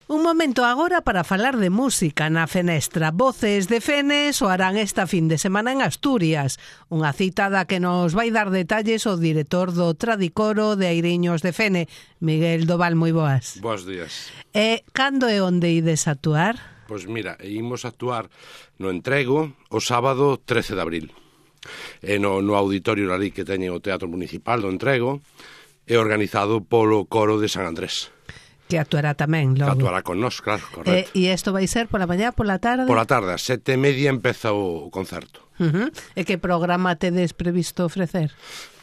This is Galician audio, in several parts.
Un momento agora para falar de música na Fenestra. Voces de Fene soarán esta fin de semana en Asturias. Unha cita da que nos vai dar detalles o director do Tradicoro de Airiños de Fene, Miguel Doval. Moi boas. Bos días. Cando e onde ides actuar? Pois mira, imos actuar no Entrego o sábado 13 de abril. No auditorio ali que teñen o Teatro Municipal do Entrego, é organizado polo Coro de San Andrés. Que actuará tamén logo. Que actuará con nós, claro, correcto. E isto vai ser pola mañá, pola tarde? Pola tarde, a 7:30 empeza o concerto. E que programa tedes previsto ofrecer?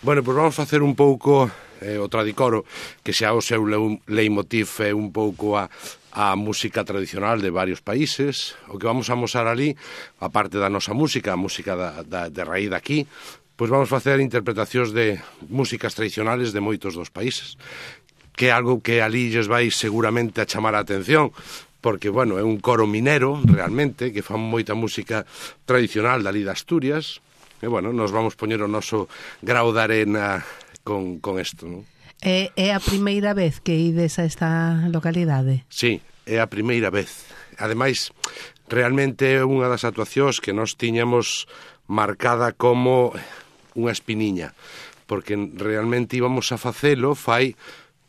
Bueno, pois vamos facer un pouco o Tradicoro, que xa o seu leitmotiv é un pouco a música tradicional de varios países. O que vamos a mostrar ali, a parte da nosa música, a música de raíz daqui, pois vamos facer interpretacións de músicas tradicionales de moitos dos países, que é algo que ali lles vai seguramente a chamar a atención, porque, bueno, é un coro minero, realmente, que fan moita música tradicional dali de Asturias, e, bueno, nos vamos poñer o noso grau de arena con isto, non? É a primeira vez que ides a esta localidade? Sí, é a primeira vez. Ademais, realmente é unha das actuacións que nos tiñamos marcada como unha espiniña, porque realmente íbamos a facelo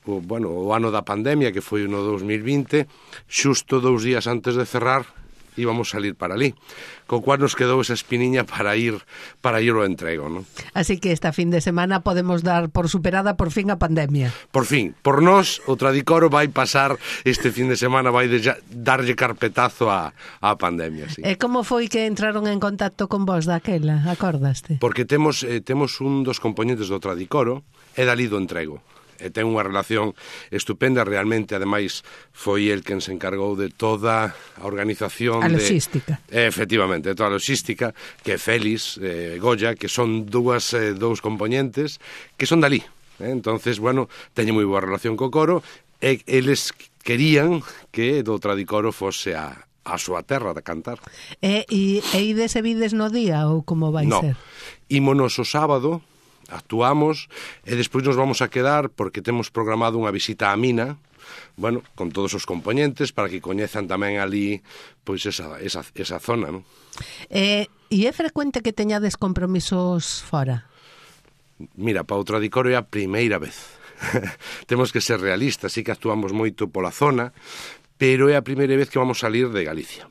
o ano da pandemia, que foi no 2020, xusto 2 días antes de cerrar, íbamos salir para ali, co cual nos quedou esa espiniña para ir ao Entrego, non? Así que esta fin de semana podemos dar por superada por fin a pandemia. Por fin, por nós, o Tradicoro vai pasar este fin de semana, vai darlle carpetazo á pandemia, sí. E como foi que entraron en contacto con vos daquela, acordaste? Porque temos un dos componentes do Tradicoro, é dali do Entrego. E ten unha relación estupenda, realmente, ademais, foi el quen se encargou de toda a organización. A logística. Efectivamente, toda a logística, que é Félix, Goya, que son dous componentes que son dali. Entonces, bueno, teñen moi boa relación co coro, e eles querían que do Tradicoro fose a súa terra de cantar. E ides e vides no día, ou como vai ser? Ímonos o sábado, actuamos e despois nos vamos a quedar porque temos programado unha visita á mina, bueno, con todos os componentes para que coñezan tamén ali pois esa zona, non? E é frecuente que teñades compromisos fora? Mira, para o Tradicoro é a primeira vez. Temos que ser realistas, sí que actuamos moito pola zona, pero é a primeira vez que vamos salir de Galicia.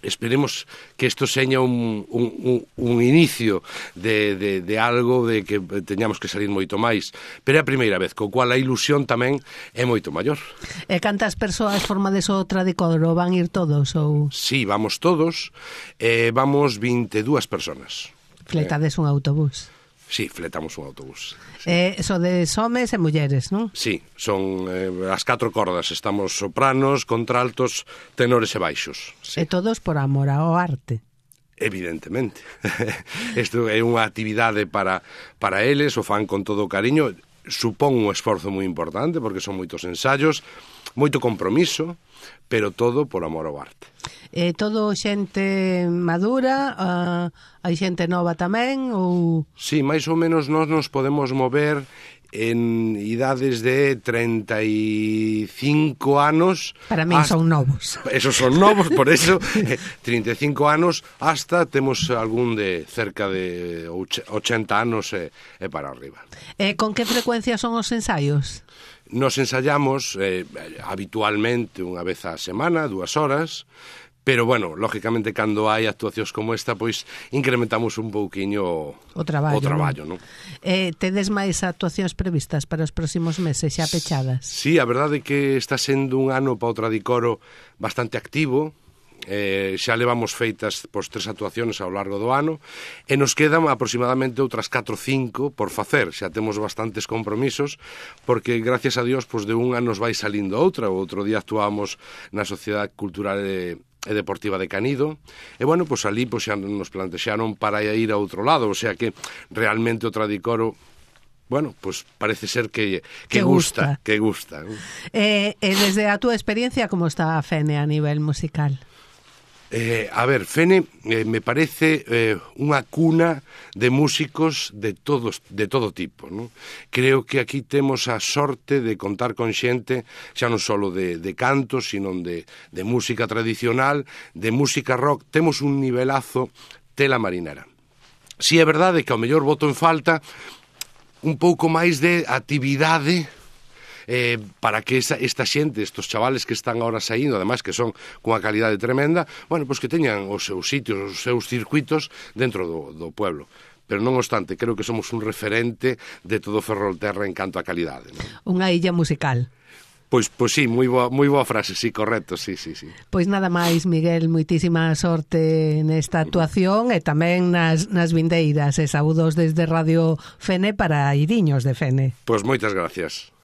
Esperemos que isto seña un inicio de algo de que teñamos que salir moito máis, pero é a primeira vez, co cual a ilusión tamén é moito maior. E cantas persoas formades o Tradicoro? Van ir todos? Ou? Sí, vamos todos, vamos 22 personas. Fletades un autobús? Sí, fletamos un autobús. Sí. Sodes homes e mulleres, non? Sí, son as 4 cordas, estamos sopranos, contraltos, tenores e baixos. Sí. E todos por amor ao arte. Evidentemente. Isto é unha actividade para eles, o fan con todo o cariño, supón un esforzo moi importante, porque son moitos ensaios, moito compromiso, pero todo por amor ao arte. Todo xente madura, hai xente nova tamén, ou...? Sí, máis ou menos nós nos podemos mover en idades de 35 anos... Para min son novos. Esos son novos, por eso, 35 anos, hasta temos algún de cerca de 80 anos e para arriba. Con que frecuencia son os ensaios? Nos ensaiamos habitualmente unha vez á semana, 2 horas, pero, bueno, lógicamente, cando hai actuacións como esta, pois, incrementamos un pouquiño o traballo, non? Tedes máis actuacións previstas para os próximos meses, xa pechadas? Sí, a verdade é que está sendo un ano para o Tradicoro bastante activo. Xa levamos feitas 3 actuacións ao largo do ano e nos quedan aproximadamente outras 4 ou 5 por facer. Xa temos bastantes compromisos porque, gracias a Dios, de unha nos vai salindo outra. O outro día actuábamos na Sociedade Cultural e Deportiva de Canido e, bueno, ali xa nos plantexaron para ir a outro lado, o sea que realmente o Tradicoro, bueno, parece ser que gusta. E desde a túa experiencia, como está a Fene a nivel musical? A ver, Fene me parece unha cuna de músicos de todo tipo, non? Creo que aquí temos a sorte de contar con xente xa non só de canto, sino de música tradicional, de música rock. Temos un nivelazo tela marinera. Si é verdade que ao mellor boto en falta un pouco máis de actividade para que esta xente, estos chavales que están ahora saindo, ademais que son cunha calidade tremenda, bueno, pois que teñan os seus sitios, os seus circuitos dentro do pueblo. Pero non obstante, creo que somos un referente de todo Ferrolterra en canto a calidade, non? Unha illa musical. Pois sí, moi boa frase, sí, correcto, sí. Pois nada máis, Miguel, moitísima sorte nesta actuación e tamén nas vindeiras, e saúdos desde Radio Fene para Iriños de Fene. Pois moitas gracias.